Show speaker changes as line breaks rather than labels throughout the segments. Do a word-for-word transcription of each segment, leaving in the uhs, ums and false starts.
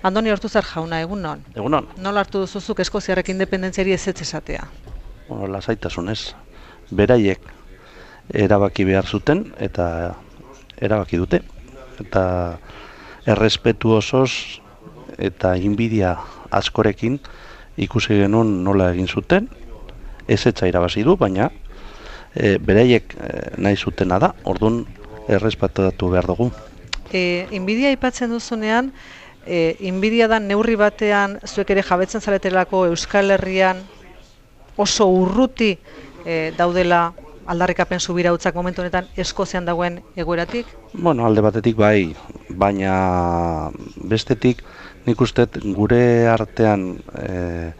Andoni Ortuzar jauna, egunon.
Egunon.
Nola hartu duzuzuk eskoziarrek independentziari ezetz esatea?
Bueno, lasaitasunez. Beraiek erabaki behar zuten eta erabaki dute. Eta errespetu osoz eta inbidia askorekin ikusi genuen nola egin zuten. Ezetza irabazi du, baina e, beraiek e, nahi zutena da, orduan errespetatu behar dugu.
E, inbidia aipatzen duzunean, e, inbidia da neurri batean zuek ere jabetzen zaretelako Euskal Herrian oso urruti e, daudela aldarrikapen subirautzak momentu honetan Eskozian dagoen egoeratik?
Bueno, alde batetik bai, baina bestetik nik uste gure artean e,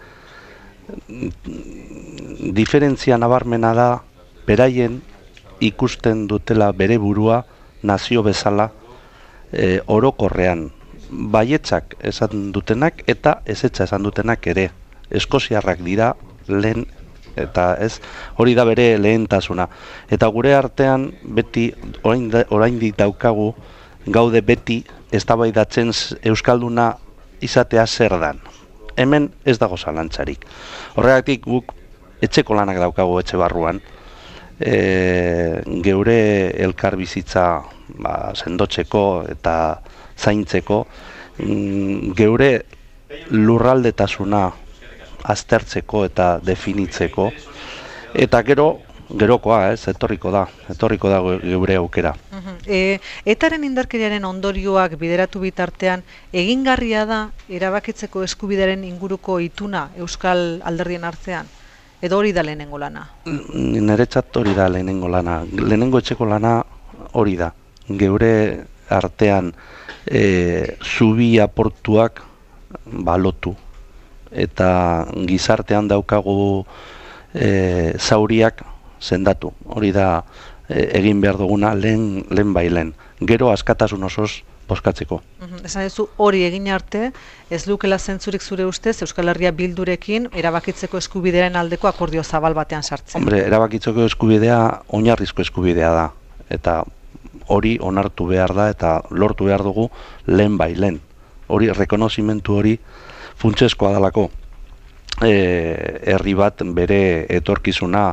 diferentzia nabarmena da beraien ikusten dutela bere burua nazio bezala e, orokorrean baietzak esan dutenak eta ezetza esan dutenak ere. Eskoziarrak dira lehen eta ez hori da bere lehentasuna. Eta gure artean beti oraindik daukagu gaude beti eztabaidatzen euskalduna izatea zer dan. Hemen ez dago zalantzarik. Horregatik guk etxeko lanak daukagu etxe barruan. E, geure elkar bizitza ba, sendotzeko eta zaintzeko, mm, geure lurraldetasuna aztertzeko eta definitzeko, eta gero gerokoa, ez, etorriko da, etorriko da geure aukera.
Uh-huh. e, Etaren indarkeriaren ondorioak bideratu bitartean, egingarria da erabakitzeko eskubidearen inguruko ituna Euskal Alderdien artean? Edo hori da lehenengo lana?
Niretzat hori da lehenengo lana. Lehenengo etxeko lana hori da. Geure artean e, zubi aportuak balotu. Eta gizartean daukagu e, zauriak sendatu. Hori da e, egin behar duguna lehen, lehen bailen. Gero askatasun osoz boskatzeko.
Uh-huh. Esan duzu hori egin arte, ez lukela zentzurik zure ustez Euskal Herria Bildurekin erabakitzeko eskubidearen aldeko akordio zabal batean sartzen.
Hombre, erabakitzeko eskubidea oinarrizko eskubidea da. Eta hori onartu behar da eta lortu behar dugu lehen bailen. Hori, rekonozimentu hori funtsezkoa dalako. E, herri bat bere etorkizuna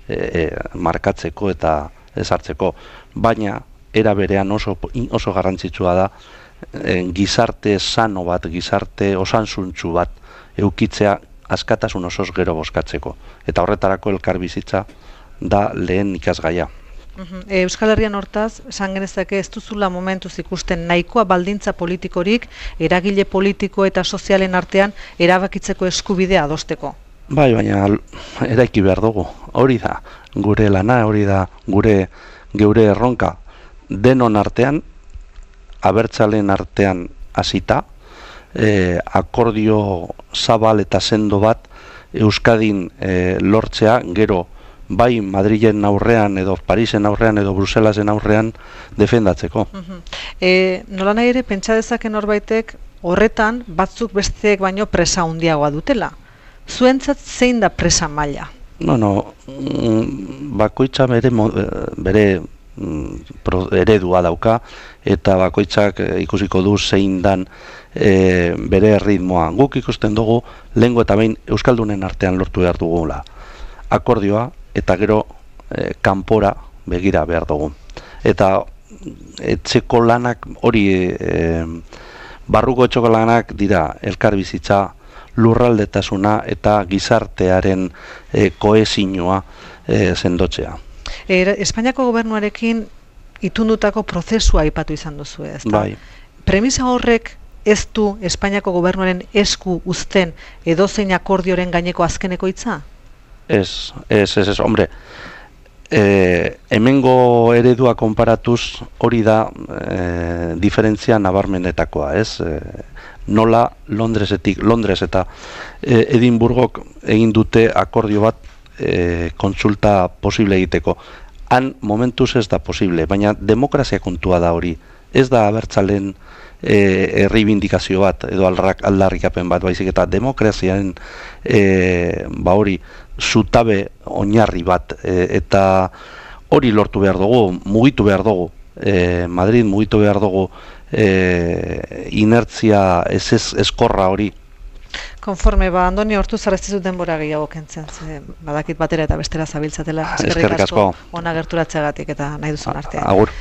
e, e, markatzeko eta ezartzeko. Baina, era berean oso, oso garrantzitsua da e, gizarte sano bat, gizarte osansuntsu bat eukitzea askatasun osoz gero boskatzeko. Eta horretarako elkar bizitza da lehen ikasgaia.
Uh-huh. e, Euskal Herrian hortaz, esan genezake ez duzula momentuz ikusten nahikoa baldintza politikorik eragile politiko eta sozialen artean erabakitzeko eskubidea adosteko.
Bai, baina eraiki behar dugu. Hori da gure lana, hori da gure geure erronka. Denon artean, abertzaleen artean hasita, e, akordio zabal eta sendo bat Euskadin e, lortzea, gero bai Madrilen aurrean edo Parisen aurrean edo Bruselasen aurrean defendatzeko.
Uh-huh. e, nola nahi ere pentsa dezake norbaitek horretan batzuk besteek baino presa handiagoa dutela. Zuentzat zein da presa maila?
Bueno, bakoitza bere, bere eredua dauka eta bakoitzak ikusiko du zein dan e, bere ritmoa. Guk ikusten dugu lehengo eta behin euskaldunen artean lortu behar dugula akordioa eta gero e, kanpora begira behar dugu. Eta etxeko lanak hori e, barruko etxeko lanak dira elkar bizitza, lurraldetasuna eta gizartearen e, kohesioa e, sendotzea.
E, Espainiako gobernuarekin itundutako prozesua aipatu izan duzu, ez da?
Bai.
Premisa horrek ez du Espainiako gobernuaren esku uzten edozein akordioren gaineko azkeneko hitza?
Ez, ez, ez, ez, hombre, e, hemengo eredua konparatuz hori da e, diferentzia nabarmenetakoa, ez? E, nola Londresetik, Londres eta e, Edinburgok egin dute akordio bat E, kontsulta posible egiteko. Han momentuz ez da posible, baina demokrazia kontua da hori. Ez da abertzalen e, erreibindikazio bat edo aldarrikapen bat, baizik eta demokraziaren e, ba hori zutabe oinarri bat e, eta hori lortu behar dugu, mugitu behar dugu. E, Madrid mugitu behar dugu e, inertzia ez ez eskorra hori.
Konforme, ba, Andoni hortu zarreztizut denbora gehiago kentzen, ze badakit batera eta bestera zabiltzatela.
Eskerrik asko.
Ona gerturatzeagatik eta nahi duzun artean.
Agur.